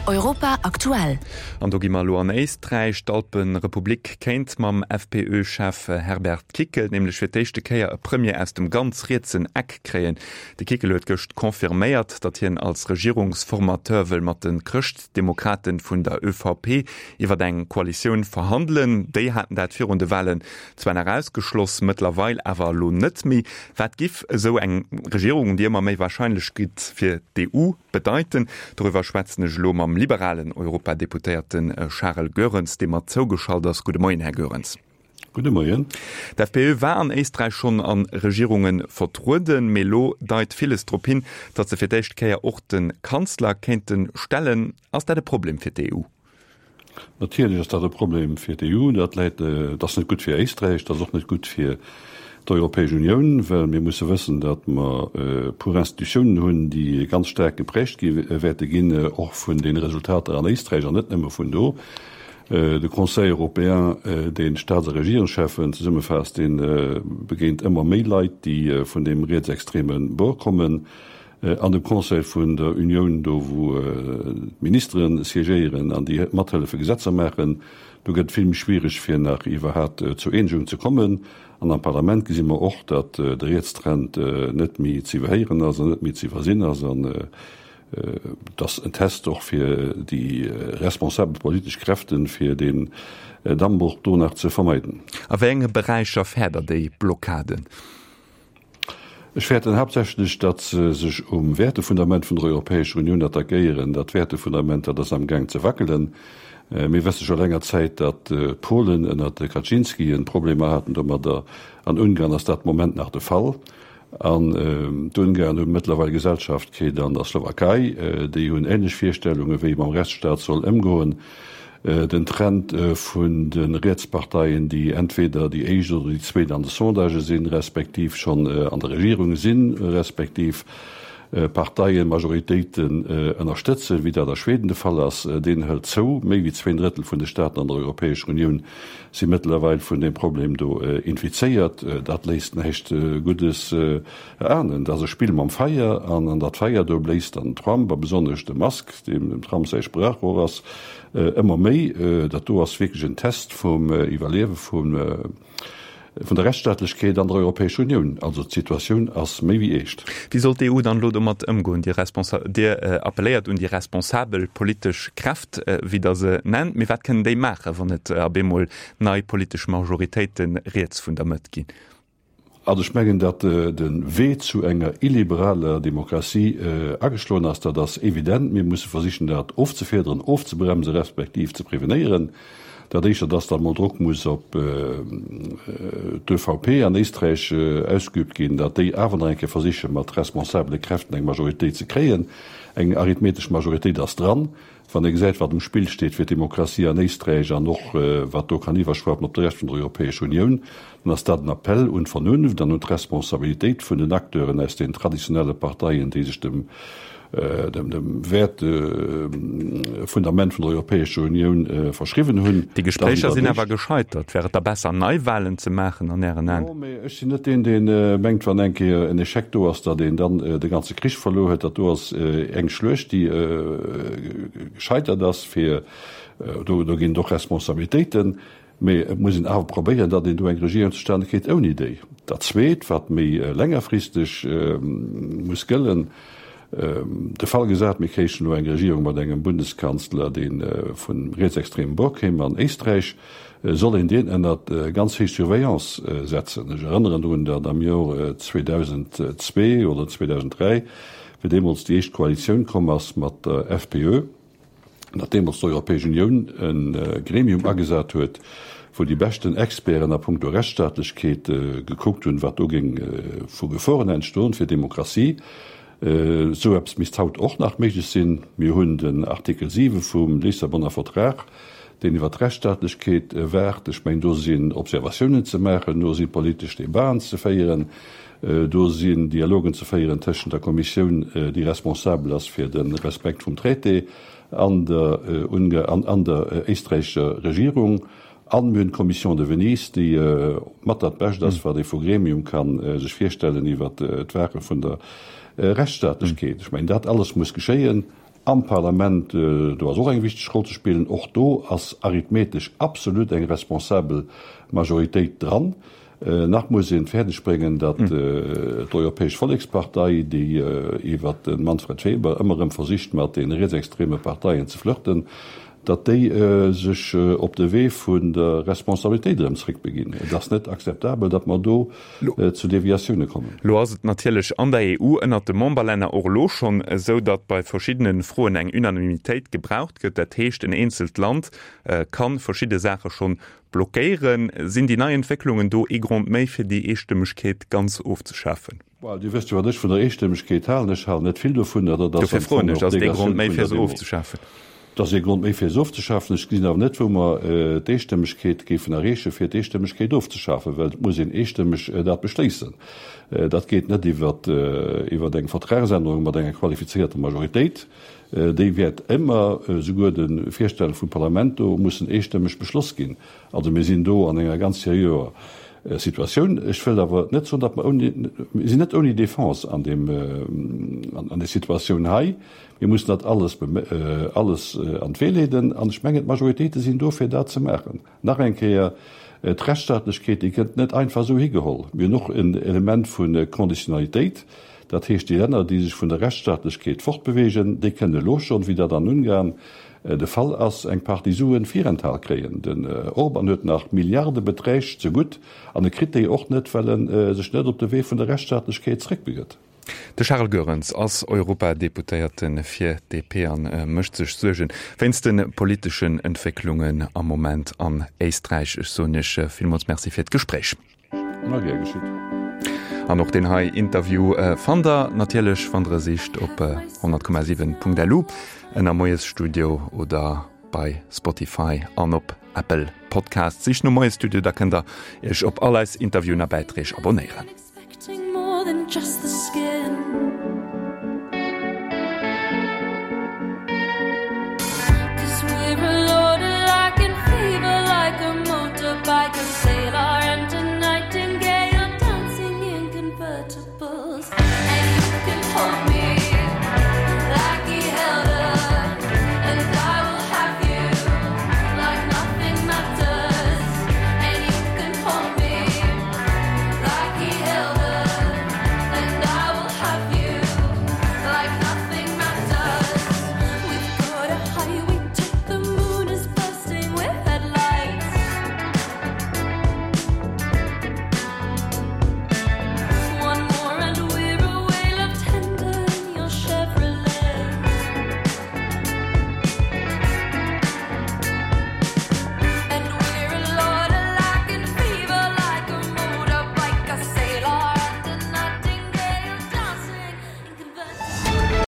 Europa aktuell. An do gi mer elo an Éisträich. D'Alpenrepublik kéint mam FPÖ-Chef Herbert Kickl nämlech fir d'éischte Kéier e Premier aus dem ganz rietsen Eck kréien. De Kickl huet gëscht confirméiert, datt hien als Regierungsformateur wëll mat de Chrëschtdemokraten vun der ÖVP iwwer eng Koalitioun verhandelen. Déi haten dat virun de Walen zwar nach ausgeschloss, mëttlerweil awer elo net méi. Wat giff esou eng Regierung, déi ëmmer méi warscheinlech gitt, fir d'EU bedeiten? Doriwwer schwätzen ech elo mam liberalen Europadeputéierte Charel Goerens, dee mer zougeschalt ass. Gudde Moien, Här Goerens. Gudde Moien. D'FPÖ war an Éisträich schonn a Regierunge vertrueden, mee elo deit villes drop hin, datt se fir d'éischt Kéier och de Kanzler kéinte stellen. Ass dat e Problem fir d'EU? Natierlech ass dat e Problem fir d'EU. Dat läit, dat ass net gutt fir Éisträich, dat ass och net gutt fir d'Europäesch Unioun, well mir musse wëssen, datt mer e puer Institutiounen hunn, déi ganz staark geprägt gi wäerte ginn, och vun deene Resultater an Éisträich an net nëmme vun do. De Conseil européen, deen d'Staats a Regierungscheffen zesummefaasst, dee begéint ëmmer méi Leit, déi vun deem rietsextreme Bord kommen. An dem Conseil vun der Unioun, do wou d'Ministere siégéieren an déi mathëllefe Gesetzer maachen, do gëtt et vill méi schwiereg fir nach iwwerhat zur Eenegung ze kommen. An am Parlament gesi mer och, datt de Rietstrend net méi ze iwwerhéieren ass an net méi ze iwwersinn ass. An et ass en Test och fir déi responsabel politesch Kräften, fir deen Dammbroch do nach ze vermeiden. A wéi enge Beräicher fäert Der déi Blockaden? Ech fäerten haaptsächlech, datt se sech um Wäertefundament vun der Europäescher Unioun attackéieren. Dat Wäertefundament, dat ass amgaang ze wackelen. Mir wësse scho länger Zäit, datt d'Polen ënnert de Kaczynskien Problemer haten domadder. An Ungarn ass dat de Moment nach de Fall. An d'Ungarn hu mëttlerweil Gesellschaft kritt an der Slowakei. Déi hunn änlech Virstellungen, wéi ee mam Rechtsstaat soll ëmgoen. Den Trend vun de Rietsparteien, déi entweder déi éischt oder déi zweet an de Sondagë sinn, respektiv schonn an der Regierung sinn, respektiv Parteien, Majoritéiten ënnerstëtzen, wéi dat a Schweden de Fall ass, deen hëlt zou. Méi wéi zwéin Drëttel vun de Staaten an der Europäescher Unioun si mëttlerweil vun deem Problem do infizéiert. Dat léisst näischt Guddes erahnen. Dat ass e Spill mam Feier an an dat Feier do bléist dann den Trump a besonnesch de Musk, deem dem Trump säi Sprachrohr ass, ëmmer méi. Dat do ass wierklech en Test vum Iwwerliewe vun der Rechtsstaatlechkeet an der Europäescher Unioun. Also d'Situatioun ass méi wéi eescht. Wéi soll d'EU dann elo domat ëmgoen? Dir appelléiert un déi responsabel politesch Kräft, wéi Der se nennt. Mee wat kënnen déi maachen, wann et op eemol nei politesch Majoritéite riets vun der Mëtt ginn? Also ech mengen, datt de Wee zu enger illiberaler Demokratie ageschloen ass, dat ass evident. Mir musse versichen, dat ofzefiederen, ofzebremsen, respektiv ze prevenéieren. Dat éischter, datt da mol Drock muss op d'ÖVP an Éisträich ausgeübt ginn, datt déi awer nach eng Kéier versiche mat responsabele Kräften eng Majoritéit ze kréien. Eng arithmetesch Majoritéit ass dran. Wann ee gesäit, wat um Spill steet fir d'Demokratie an Éisträich an och wat do kann iwwerschwappen op de Rescht vun der Europäescher Unioun, dann ass dat en Appell un d'Vernunft an un d'Responsabilitéit vun den Acteuren aus den traditionelle Parteien, déi sech dem Wäertefundament vun der Europäescher Unioun verschriwwen hunn. Déi Gespréicher sinn awer gescheitert. Wär et da besser, Neiwahlen ze maachen an Ären Aen? Jo, mee ech sinn net deen, dee mengt, wann eng Kéier en Echec do ass, datt een dann de ganze Krich verluer huet. Dat do ass eng Schluecht, déi gescheitert ass. Fir do ginn et och Responsabilitéiten. Mee et muss een awer probéieren, datt een do eng Regierung zustane kritt ouni déi. Dat Zweet, wat méi längerfristeg muss gëllen, de Fall gesat, mir kréichen elo eng Regierung mat engem Bundeskanzler, dee vum rietsextremen Bord kéim an Éisträich, soll een deen ënnert ganz héich Surveillance setzen. Ech erënneren drun, datt am Jor 2002 oder 2003, wéi deemools déi éischt Koalitioun komm ass mat der FPÖ, datt deemools d'Europäesch Unioun e Gremium agesat huet, wou déi beschten Experten a puncto Rechtsstaatlechkeet gekuckt hunn, wat do géing vu Geforen entstoen fir d'Demokratie. Esou eppes misst haut och nach méiglech sinn. Mir hunn den Artikel 7 vum Lissabonner Vertrag, deen iwwert d'Rechtsstaatlechkeet waacht. Ech mengen, do sinn Observatiounen ze maachen, do si politesch Debaten ze féieren, do sinn Dialogen ze féieren tëschent der Kommissioun, déi responsabel ass fir de Respekt vum Traité, an der an der éisträichescher Regierung. An mir hunn d'Commission de Venise, déi mat dat Bescht ass, wat ee vu Gremium ka sech virstellen iwwert d'Waache vun der Rechtsstaatlechkeet. Ech mengen, dat alles muss geschéien. Am Parlament, do ass och eng wichteg Roll ze spillen. Och do ass arithmetesch absolut eng responsabel Majoritéit dran. Nach muss een fäerdeg bréngen, datt d'Europäesch Vollekspartei, déi iwwer de Manfred Weber ëmmer erëm versicht mat de rietsextreme Parteien ze flirten, datt déi sech op de Wee vun der Responsabilitéit erëm zréckbeginn. Et ass net akzeptabel, datt mer do zu Deviatioune kommen. Lo ass et natierlech an der EU ënnert de Memberlänner och elo schonn esou, datt bei verschiddene Froen eng Unanimitéit gebraucht gëtt. Dat heescht, en eenzelt Land ka verschidde Saache schonn blockéieren. Sinn déi nei Entwécklungen do ee Grond méi, fir déi Eestëmmegkeet ganz ofzeschafen? Well Dir wësst jo, wat ech vun der Eestëmmegkeet halen. Ech halen net vill dovunner. Dat ass Dofir am froen Fong ech, och ass et ee Grond d'Delegation méi, vun fir der se Demo. ofzeschafen? Et ass ee Grond méi, fir se ofzeschafen. Ech gesinn awer net, wou mer d'Eestëmmegkeet géifen erreechen, fir d'Eestëmmegkeet ofzeschafen, well et muss een eestëmmeg dat beschléissen. Dat geet net iwwer iwwer eng Vertragsännerung mat enger qualifizierter Majoritéit. Déi wäert ëmmer, souguer de Virstänn vum Parlament do, mussen eestëmmeg beschloss ginn. Also mir sinn do an enger ganz seriöer Situatioun. Ech wëll awer net soen, datt mer ouni, mir sinn net ouni Defense an deem, an där Situatioun hei. Mir mussen dat alles, alles an d'Wee leeden an ech mengen, d'Majoritéite sinn do, fir dat ze maachen. Nach eng Kéier, d'Rechtsstaatlechkeet, déi gëtt net einfach esou higeholl. Mir hunn och en Element vu Conditionalitéit. Dat heescht, déi Länner, déi sech vun der Rechtsstaatlechkeet fortbewegen, déi kënnen elo schonn, wéi dat an Ungarn de Fall ass, eng Partie Suen virenthal kréien. Den Orban huet nach Milliardebeträg zegutt an e kritt déi och net, well e sech net op de Wee vun der Rechtsstaatlechkeet zréckbegëtt. De Charel Goerens ass Europadeputéierte fir d'DP a mécht sech Suerge wéinst de politeschen Entwécklungen am Moment an Éisträich. Ech soen Iech villmools Merci fir d'Gespréich. Ma gär geschitt. An och deen hei Interview fannt der natierlech, wann der e sicht, op 100,7.lu ënner Moiesstudio oder bei Spotify an op Apple Podcasts. Sicht no Moiesstudio, da kënnt der Iech op all eis Interviewen a Bäiträg abonéieren.